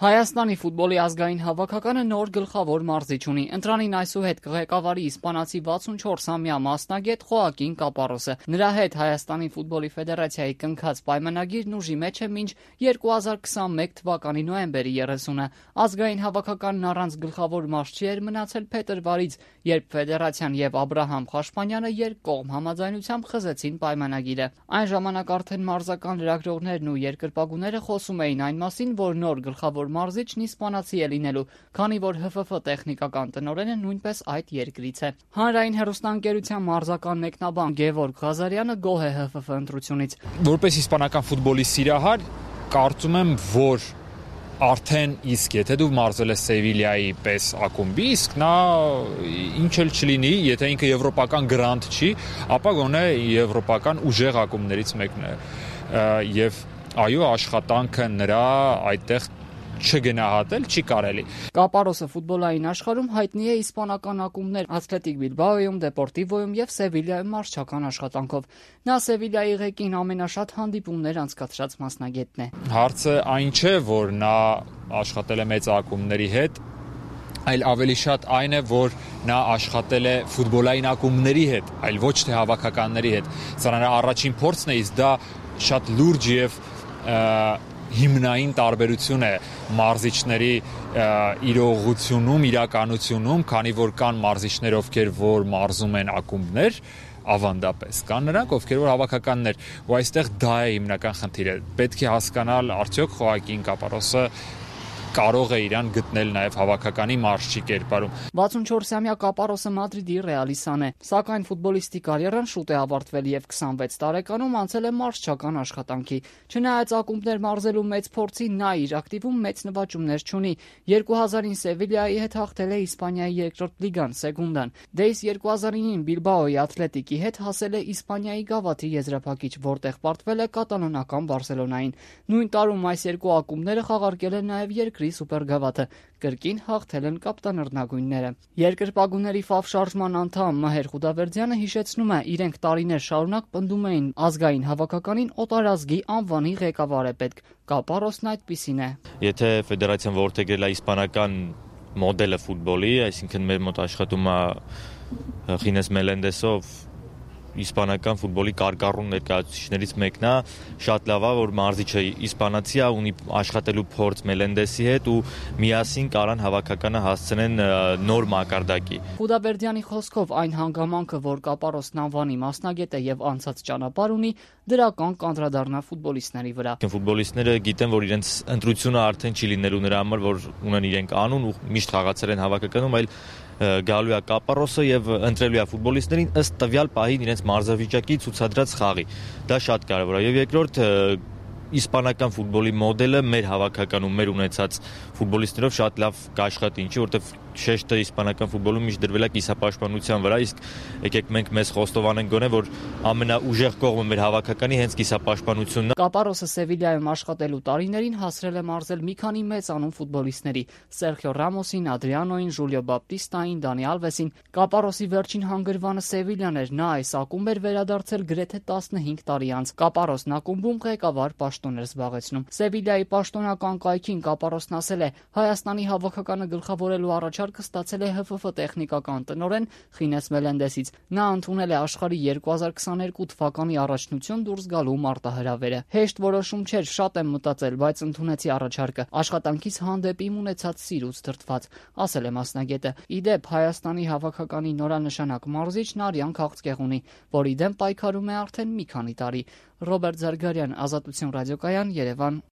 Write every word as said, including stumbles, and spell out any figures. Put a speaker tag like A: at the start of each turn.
A: Հայաստանի ֆուտբոլի ազգային հավաքականը նոր գլխավոր մարզիչ ունի։ Ընտրանին այսուհետ կղեկավարի իսպանացի վաթսունչորսամյա մասնագետ Խոակին Կապարոսը։ Նրա հետ Հայաստանի ֆուտբոլի ֆեդերացիայի կնքած պայմանագիրն ուժի մեջ է մինչ երկու հազար քսանմեկ թվականի նոյեմբերի երեսունը։ Ազգային հավաքականն առանց գլխավոր մարզչի էր մնացել փետրվարից, երբ ֆեդերացիան եւ Աբրահամ Խաշպանյանը երկկողմ համաձայնությամբ խզեցին պայմանագիրը։ Այն ժամանակ արդեն մարզական լրագրողներն ու երկրպագուները խոսում էին այն մասին, որ նոր գլխավոր մարզիչն իսպանացի է լինելու, քանի որ Հ Ֆ Ֆ տեխնիկական տնօրենը նույնպես այդ երկրից է։ Հանրային հեռուստաընկերության մարզական մեկնաբան Գևորգ Ղազարյանը գոհ է Հ Ֆ Ֆ ընտրությունից։
B: Որպես իսպանական ֆուտբոլի սիրահար, կարծում եմ, որ արդեն իսկ եթե դու մարզել ես Սևիլիայի պես ակումբի, իսկ նա ինչ էլ չլինի, եթե ինքը եվրոպական գրանտ չի, ապա գոնե եվրոպական ուժեղ ակումբներից մեկն է։ Եվ այո, աշխատանքը նրա այդտեղ չգնահատել չի կարելի։
A: Կապարոսը ֆուտբոլային աշխարհում հայտնի է իսպանական ակումբներ Աթլետիկ Բիլբաոյում, Դեպորտիվոյում եւ Սևիլիայում մարզչական աշխատանքով։ Նա Սևիլիայի ղեկին ամենաշատ հանդիպումներ անցկացրած մասնագետն է։
B: Հարցը այն չէ, որ նա աշխատել է մեծ ակումբների հետ, այլ ավելի շատ այն է, որ նա աշխատել է ֆուտբոլային ակումբների հետ, այլ ոչ թե հավաքականների հետ։ Սա նրա առաջին փորձն է, իսկ դա շատ լուրջ եւ հիմնային տարբերություն է մարզիչների իրողությունում, իրականությունում, քանի որ կան մարզիչներ, ովքեր որ մարզում են ակումբներ, ավանդապես կան նրանք, ովքեր որ հավաքականներ, ու այստեղ դա է հիմնական խնդիրը։ Պետք է հասկանալ արդյոք Խոակին Կապարոսը կարող է իրան գտնել նաև հավաքականի մարզչի կերպարում։
A: վաթսունչորսամյա Կապարոսը Մադրիդի Ռեալիսան է, սակայն ֆուտբոլիստի կարիերան շուտ է ավարտվել եւ քսանվեց տարեկանում անցել է մարզչական աշխատանքի։ Չնայած ակումբներ մարզելու մեծ փորձի, նա իր ակտիվում մեծ նվաճումներ չունի։ երկու հազարին Սևիլիայի հետ հաղթել է Իսպանիայի երկրորդ լիգան Սեգունդան։ Դե իսկ երկու հազարինին Բիլբաոյի Աթլետիկի հետ հասել է Իսպանիայի գավաթի եզրափակիչ, որտեղ պարտվել է կատալոնական Բարսելոնային։ Նույն տարում այս երկու ակումբները խաղարկել են նաև երկրի սուպերգավաթը, կրկին հաղթել են կապտանռնագույնները։ Երկրպագուների Ֆավ շարժման անդամ Մհեր Խուդավերդյանը հիշեցնում է, իրենք տարիներ շարունակ պնդում էին ազգային հավաքականին օտարազգի անվանի ղեկավար է պետք։ Կապարոսն այդպիսին է։
C: Եթե ֆեդերացիան որդեգրել է իսպանական մոդելը ֆուտբոլի, այսինքն մեր մոտ աշխատում է Խինես Մելենդեսով իսպանական ֆուտբոլի կարկառուն ներկայացուցիչներից մեկն է, շատ լավ է, որ մարզիչը իսպանացի է, ունի աշխատելու փորձ Մելենդեսի հետ ու միասին կարան հավաքականը հասցնեն նոր մակարդակի։
A: Խուդավերդյանի խոսքով այն հանգամանքը, որ Կապարոսն անվանի մասնագետ է եւ անցած ճանապարհ ունի, դրական կանդրադառնա ֆուտբոլիստների վրա։
C: Ֆուտբոլիստները գիտեն, որ իրենց ընտրությունը արդեն չի լինելու նրա համար, որ ունեն իրենք անուն ու միշտ խաղացել են հավաքականում, այլ գալու է Կապարոսը եւ ընտրելու է ֆուտբոլիստներին ըստ տվյալ պահին իրենց մարզավիճակի ցուցադրած խաղի։ Դա շատ կարեւոր է։ Եվ երկրորդ իսպանական ֆուտբոլի մոդելը մեր հավաքականում, մեր ունեցած ֆուտբոլիստներով շատ լավ կաշխատի, ինչի որտեվ շեշտը իսպանական ֆուտբոլում միշտ դրվել է կիսապաշտպանության վրա, իսկ եկեք մենք մեզ խոստովանենք գոնե, որ ամենաուժեղ կողմը մեր հավաքականի հենց կիսապաշտպանությունն է։
A: Կապարոսը Սևիլիայում աշխատելու տարիներին հասրել է մարզել մի քանի մեծանուն ֆուտբոլիստների՝ Սերխիո Ռամոսին, Ադրիանոին, Ժուլիո Բապտիստային, Դանի Ալվեսին։ Կապարոսի վերջին հանգրվանը Սևիլյան էր, նա այս ակումբ էր վերադարձել գրեթե տասնհինգ տարի անց։ Կապարոսն ակումբում ղեկավար պաշտոն էր զբաղեցնում։ Սևիլիայի պաշտոնական կայքին Կապարոսն ասել է. Հայաստանի հավաքականը գլխավորելու առաջարկը ստացել է Հ Ֆ Ֆ տեխնիկական տնօրեն Խինես Մելենդեսից։ Նա ընդունել է աշխարհի երկու հազար քսաներկու թվականի առաջնություն դուրս գալու մարտահրավերը։ Հեշտ որոշում չէր, շատ եմ մտածել, բայց ընդունեցի առաջարկը, աշխատանքից հանդեպ իմ ունեցած սիրուց դրդված, ասել է մասնագետը։ Իդեպ Հայաստանի հավաքականի նորանշանակ մարզիչն Արիան Քաղցկեղունի, որի դեմ պայքարում է արդեն մի քանի տարի։ Ռոբերտ Զարգարյան, Ազատություն ռադիոկայան, Երևան։